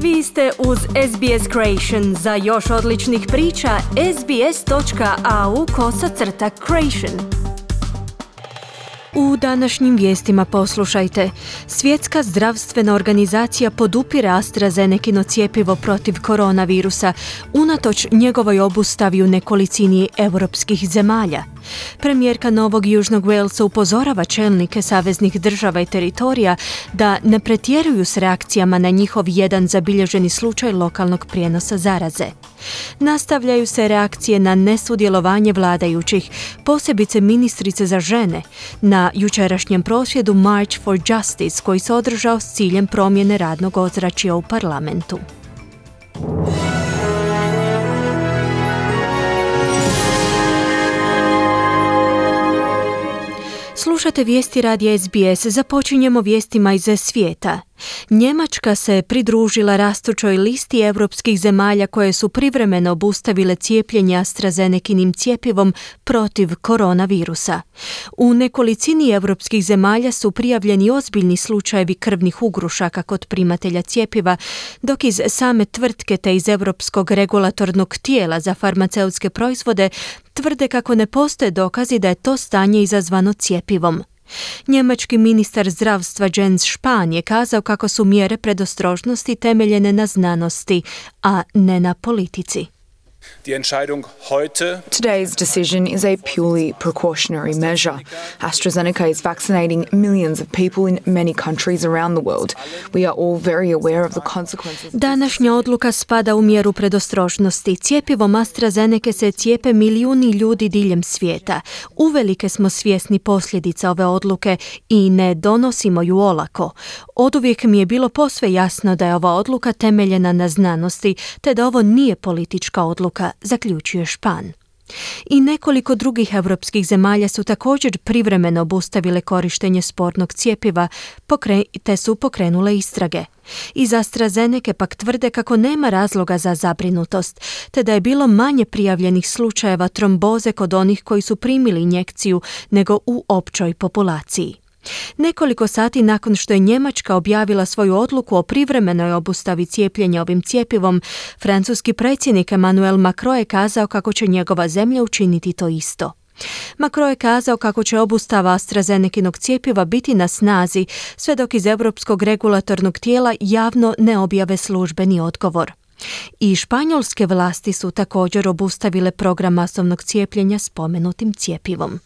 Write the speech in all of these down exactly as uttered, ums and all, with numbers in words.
Vi ste uz S B S Creation. Za još odličnih priča, sbs.au kosacrta creation. U današnjim vijestima poslušajte. Svjetska zdravstvena organizacija podupire AstraZenekino cjepivo protiv koronavirusa, unatoč njegovoj obustavi u nekolicini europskih zemalja. Premijerka Novog Južnog Walesa upozorava čelnike saveznih država i teritorija da ne pretjeruju s reakcijama na njihov jedan zabilježeni slučaj lokalnog prijenosa zaraze. Nastavljaju se reakcije na nesudjelovanje vladajućih, posebice ministrice za žene, na jučerašnjem prosvjedu March for Justice koji se održao s ciljem promjene radnog ozračja u parlamentu. Slušate vijesti radija S B S. Započinjemo vijestima iz svijeta. Njemačka se pridružila rastućoj listi europskih zemalja koje su privremeno obustavile cijepljenje AstraZenekinim cjepivom protiv koronavirusa. U nekolicini europskih zemalja su prijavljeni ozbiljni slučajevi krvnih ugrušaka kod primatelja cjepiva, dok iz same tvrtke te iz Europskog regulatornog tijela za farmaceutske proizvode tvrde kako ne postoje dokazi da je to stanje izazvano cjepivom. Njemački ministar zdravstva Jens Spahn je kazao kako su mjere predostrožnosti temeljene na znanosti, a ne na politici. Today's decision is a purely precautionary measure. AstraZeneca is vaccinating millions of people in many countries around the world. We are all very aware of the consequences. Današnja odluka spada u mjeru predostrožnosti. Cjepivom AstraZeneca se cijepe milijuni ljudi diljem svijeta. Uvelike smo svjesni posljedica ove odluke i ne donosimo ju olako. Oduvijek mi je bilo posve jasno da je ova odluka temeljena na znanosti, te da ovo nije politička odluka, zaključuje Spahn. I nekoliko drugih europskih zemalja su također privremeno obustavile korištenje spornog cjepiva, te su pokrenule istrage. Iz AstraZeneca pak tvrde kako nema razloga za zabrinutost, te da je bilo manje prijavljenih slučajeva tromboze kod onih koji su primili injekciju nego u općoj populaciji. Nekoliko sati nakon što je Njemačka objavila svoju odluku o privremenoj obustavi cijepljenja ovim cjepivom, francuski predsjednik Emmanuel Macron je kazao kako će njegova zemlja učiniti to isto. Macron je kazao kako će obustava AstraZenekinog cjepiva biti na snazi sve dok iz Europskog regulatornog tijela javno ne objave službeni odgovor. I španjolske vlasti su također obustavile program masovnog cijepljenja spomenutim cjepivom.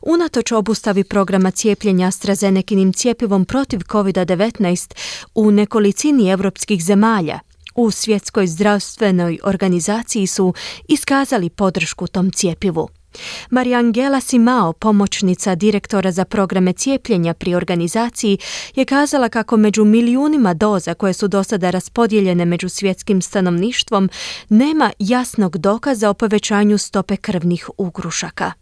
Unatoč obustavi programa cijepljenja AstraZenekinim cjepivom protiv covid devetnaest u nekolicini europskih zemalja, u Svjetskoj zdravstvenoj organizaciji su iskazali podršku tom cjepivu. Mariangela Simao, pomoćnica direktora za programe cijepljenja pri organizaciji, je kazala kako među milijunima doza koje su do sada raspodijeljene među svjetskim stanovništvom nema jasnog dokaza o povećanju stope krvnih ugrušaka.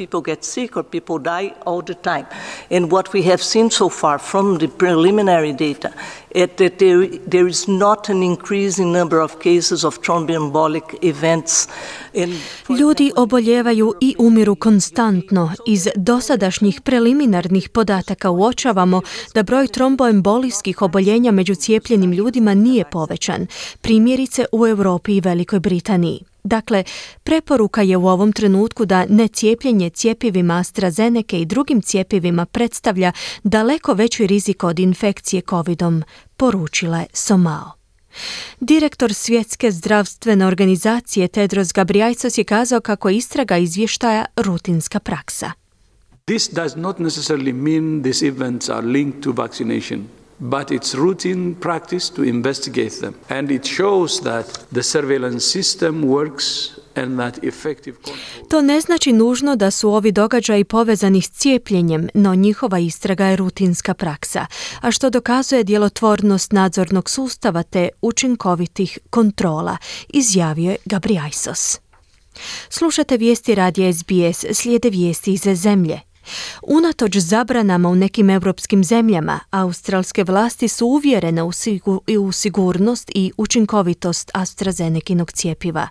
People get sick or people die all the time. And what we have seen so far from the preliminary data is that there, there is not an increase in number of cases of thromboembolic events. In, Ljudi oboljevaju i umiru konstantno. Iz dosadašnjih preliminarnih podataka uočavamo da broj tromboembolijskih oboljenja među cijepljenim ljudima nije povećan, primjerice u Europi i Velikoj Britaniji. Dakle, preporuka je u ovom trenutku da necijepljenje cjepivima AstraZeneca i drugim cjepivima predstavlja daleko veći rizik od infekcije covidom, poručila je Somao. Direktor Svjetske zdravstvene organizacije Tedros Ghebreyesus je kazao kako istraga izvještaja rutinska praksa. This does not necessarily mean these events are linked to vaccination. But it's routine practice to investigate them. And it shows that the surveillance system works and that effective control... To ne znači nužno da su ovi događaji povezani s cijepljenjem, no njihova istraga je rutinska praksa, a što dokazuje djelotvornost nadzornog sustava te učinkovitih kontrola, izjavio je Ghebreyesus. Slušate vijesti radija S B S, slijede vijesti iz zemlje. Unatoč zabranama u nekim europskim zemljama, australske vlasti su uvjerene u, sigur, u sigurnost i učinkovitost AstraZenekinog cjepiva.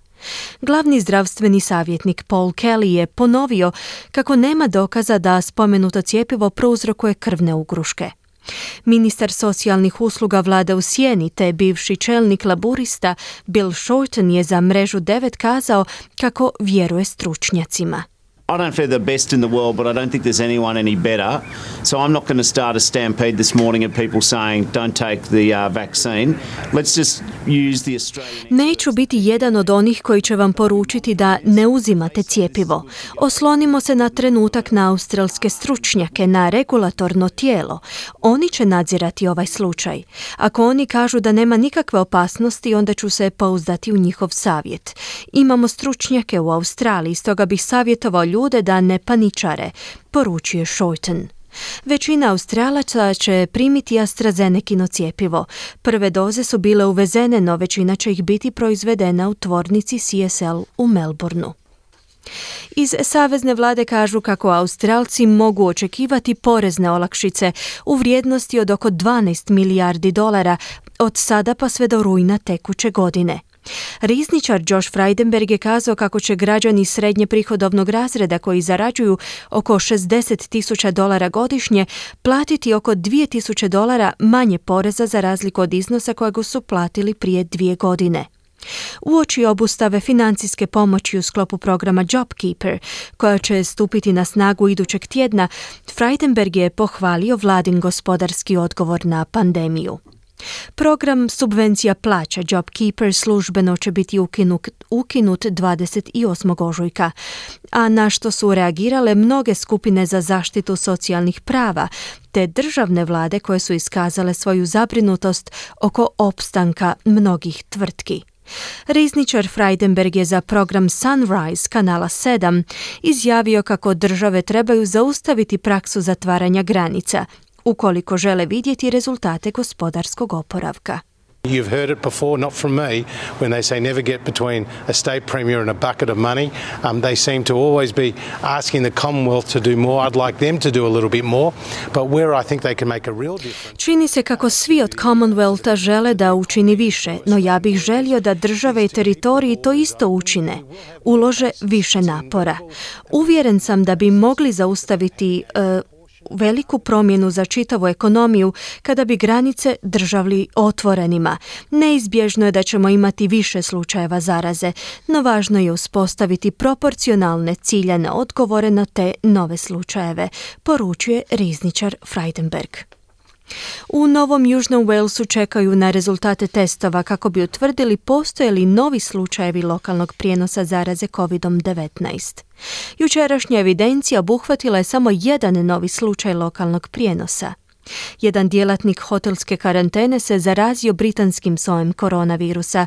Glavni zdravstveni savjetnik Paul Kelly je ponovio kako nema dokaza da spomenuto cjepivo prouzrokuje krvne ugruške. Ministar socijalnih usluga vlade u sjeni te bivši čelnik laburista Bill Shorten je za mrežu devet kazao kako vjeruje stručnjacima. I don't feel the best in the world, but I don't think there's anyone any better. So I'm not going to start a stampede this morning of people saying don't take the uh, vaccine. Let's just use the Australian... Neću biti jedan od onih koji će vam poručiti da ne uzimate cjepivo. Oslonimo se na trenutak na australske stručnjake, na regulatorno tijelo. Oni će nadzirati ovaj slučaj. Ako oni kažu da nema nikakve opasnosti, onda ću se pouzdati u njihov savjet. Imamo stručnjake u Australiji, stoga bih savjetovao ljude da ne paničare, poručuje Shorten. Većina Australaca će primiti AstraZenekino cjepivo. Prve doze su bile uvezene, no većina će ih biti proizvedena u tvornici C S L u Melbourneu. Iz savezne vlade kažu kako Australci mogu očekivati porezne olakšice u vrijednosti od oko dvanaest milijardi dolara od sada pa sve do rujna tekuće godine. Rizničar Josh Frydenberg je kazao kako će građani srednje prihodovnog razreda koji zarađuju oko šezdeset tisuća dolara godišnje platiti oko dvije tisuće dolara manje poreza za razliku od iznosa kojeg su platili prije dvije godine. Uoči obustave financijske pomoći u sklopu programa JobKeeper, koja će stupiti na snagu idućeg tjedna, Frydenberg je pohvalio vladin gospodarski odgovor na pandemiju. Program subvencija plaća JobKeeper službeno će biti ukinut, ukinut dvadeset osmog ožujka, a na što su reagirale mnoge skupine za zaštitu socijalnih prava te državne vlade koje su iskazale svoju zabrinutost oko opstanka mnogih tvrtki. Rizničar Frydenberg je za program Sunrise kanala sedam izjavio kako države trebaju zaustaviti praksu zatvaranja granica ukoliko žele vidjeti rezultate gospodarskog oporavka. You've heard it before, not from me, when they say never get between a state premier and a bucket of money. Um, they seem to always be asking the Commonwealth to do more. I'd like them to do a little bit more, but where I think they can make a real difference. Čini se kako svi od Commonwealtha žele da učini više, no ja bih želio da države i teritoriji to isto učine, ulože više napora. Uvjeren sam da bi mogli zaustaviti uh, veliku promjenu za čitavu ekonomiju kada bi granice držali otvorenima. Neizbježno je da ćemo imati više slučajeva zaraze, no važno je uspostaviti proporcionalne ciljane odgovore na te nove slučajeve, poručuje rizničar Frydenberg. U Novom Južnom Walesu čekaju na rezultate testova kako bi utvrdili postoje li novi slučajevi lokalnog prijenosa zaraze kovid devetnaest. Jučerašnja evidencija obuhvatila je samo jedan novi slučaj lokalnog prijenosa. Jedan djelatnik hotelske karantene se zarazio britanskim sojem koronavirusa,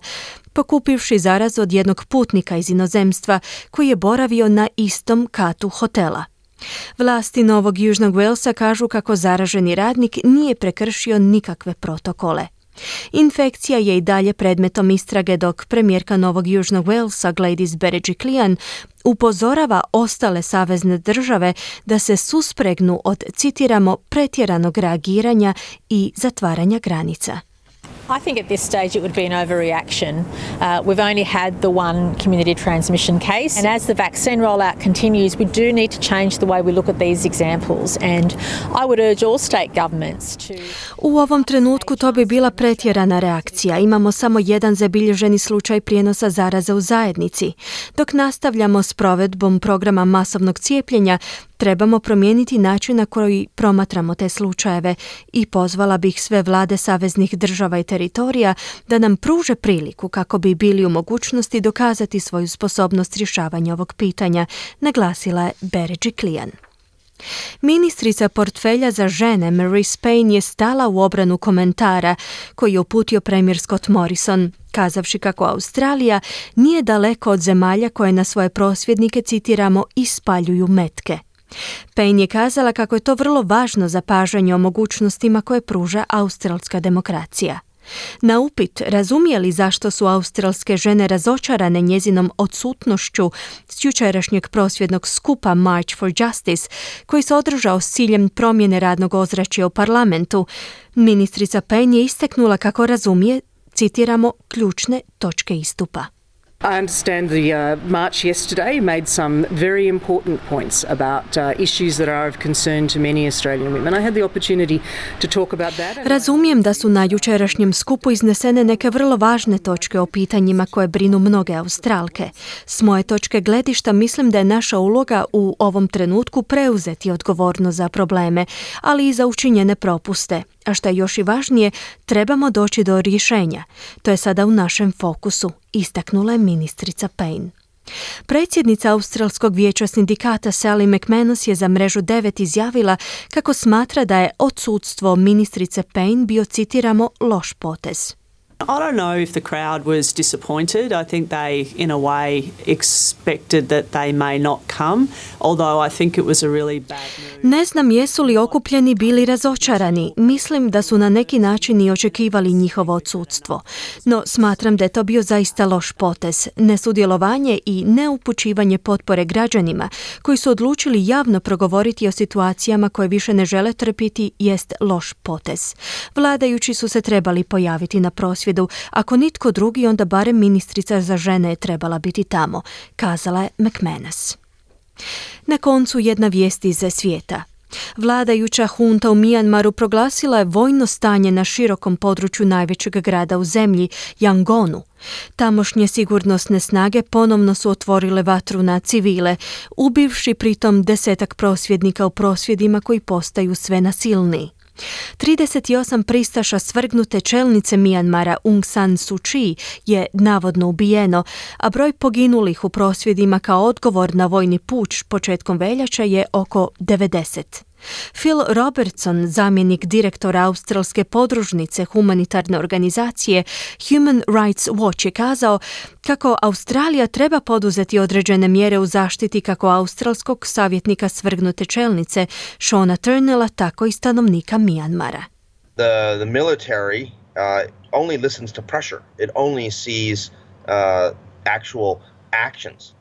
pokupivši zarazu od jednog putnika iz inozemstva koji je boravio na istom katu hotela. Vlasti Novog Južnog Walesa kažu kako zaraženi radnik nije prekršio nikakve protokole. Infekcija je i dalje predmetom istrage dok premijerka Novog Južnog Walesa Gladys Berejiklian upozorava ostale savezne države da se suspregnu od, citiramo, pretjeranog reagiranja i zatvaranja granica. I think at this stage it would be an overreaction. Uh, we've only had the one community transmission case, and as the vaccine rollout continues, we do need to change the way we look at these examples, and I would urge all state governments to... U ovom trenutku to bi bila pretjerana reakcija. Imamo samo jedan zabilježeni slučaj prijenosa zaraze u zajednici. Dok nastavljamo s provedbom programa masovnog cijepljenja, trebamo promijeniti način na koji promatramo te slučajeve i pozvala bih sve vlade saveznih država i teritorija da nam pruže priliku kako bi bili u mogućnosti dokazati svoju sposobnost rješavanja ovog pitanja, naglasila je Berejiklian. Ministrica portfelja za žene Marise Payne je stala u obranu komentara koji je uputio premijer Scott Morrison, kazavši kako Australija nije daleko od zemalja koje na svoje prosvjednike, citiramo, ispaljuju metke. Payne je kazala kako je to vrlo važno zapažanje o mogućnostima koje pruža australska demokracija. Na upit razumije li zašto su australske žene razočarane njezinom odsutnošću s jučerašnjeg prosvjednog skupa March for Justice, koji se održao s ciljem promjene radnog ozračja u parlamentu, ministrica Payne je istaknula kako razumije, citiramo, ključne točke istupa. I understand the uh, march yesterday made some very important points about uh, issues that are of concern to many Australian women. I had the opportunity to talk about that. Razumijem da su na jučerašnjem skupu iznesene neke vrlo važne točke o pitanjima koje brinu mnoge Australke. S moje točke gledišta mislim da je naša uloga u ovom trenutku preuzeti odgovornost za probleme, ali i za učinjene propuste. A što je još i važnije, trebamo doći do rješenja. To je sada u našem fokusu, istaknula je ministrica Payne. Predsjednica Australskog vijeća sindikata Sally McManus je za mrežu devet izjavila kako smatra da je odsudstvo ministrice Payne bio, citiramo, loš potez. I don't know if the crowd was disappointed. I think they, in a way, expected that they may not come, although I think it was a really bad move. Ne znam jesu li okupljeni bili razočarani. Mislim da su na neki način i očekivali njihovo odsudstvo. No smatram da je to bio zaista loš potez. Nesudjelovanje i neupućivanje potpore građanima koji su odlučili javno progovoriti o situacijama koje više ne žele trpiti jest loš potez. Vladajući su se trebali pojaviti na prosvjedu. Ako nitko drugi, onda barem ministrica za žene je trebala biti tamo, kazala je McManus. Na koncu jedna vijest iz svijeta. Vladajuća hunta u Mijanmaru proglasila je vojno stanje na širokom području najvećeg grada u zemlji, Yangonu. Tamošnje sigurnosne snage ponovno su otvorile vatru na civile, ubivši pritom desetak prosvjednika u prosvjedima koji postaju sve nasilniji. trideset osam pristaša svrgnute čelnice Mijanmara Aung San Suu Kyi je navodno ubijeno, a broj poginulih u prosvjedima kao odgovor na vojni puč početkom veljače je oko devedeset. Phil Robertson, zamjenik direktora australske podružnice humanitarne organizacije Human Rights Watch, je kazao kako Australija treba poduzeti određene mjere u zaštiti kako australskog savjetnika svrgnute čelnice Shona Turnella, tako i stanovnika Mijanmara. The, the military uh, only listens to pressure. It only sees uh, actual actions.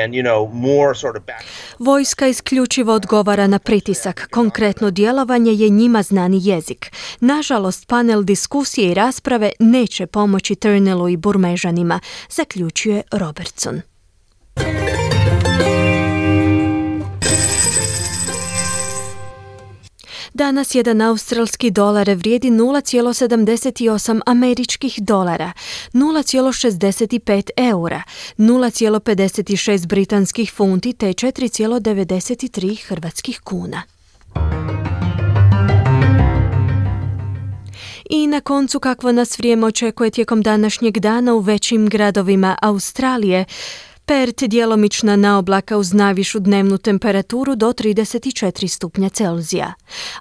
And, you know, more sort of back... Vojska isključivo odgovara na pritisak. Konkretno djelovanje je njima znani jezik. Nažalost, panel diskusije i rasprave neće pomoći Turnellu i Burmežanima, zaključuje Robertson. Danas jedan australski dolar vrijedi nula zarez sedamdeset osam američkih dolara, nula zarez šezdeset pet eura, nula zarez pedeset šest britanskih funti te četiri zarez devedeset tri hrvatskih kuna. I na koncu kakvo nas vrijeme očekuje tijekom današnjeg dana u većim gradovima Australije. Perth djelomična naoblaka uz najvišu dnevnu temperaturu do trideset četiri stupnja Celzija.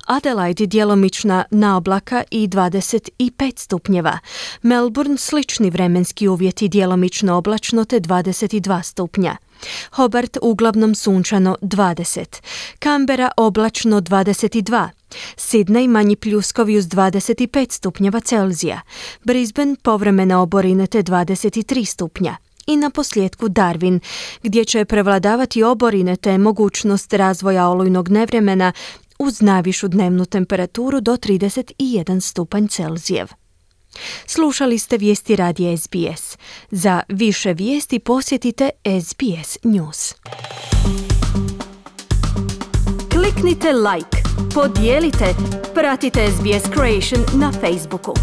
Adelaide djelomična naoblaka i dvadeset pet stupnjeva. Melbourne slični vremenski uvjeti, djelomično oblačno te dvadeset dva stupnja. Hobart uglavnom sunčano dvadeset. Canberra oblačno dvadeset dva. Sydney manji pljuskovi uz dvadeset pet stupnjeva Celzija. Brisbane povremene oborine te dvadeset tri stupnja. I na posljedku Darwin, gdje će prevladavati oborine te mogućnost razvoja olujnog nevremena uz najvišu dnevnu temperaturu do trideset jedan stupanj Celzijev. Slušali ste vijesti radija S B S. Za više vijesti posjetite S B S News. Kliknite like, podijelite, pratite S B S Creation na Facebooku.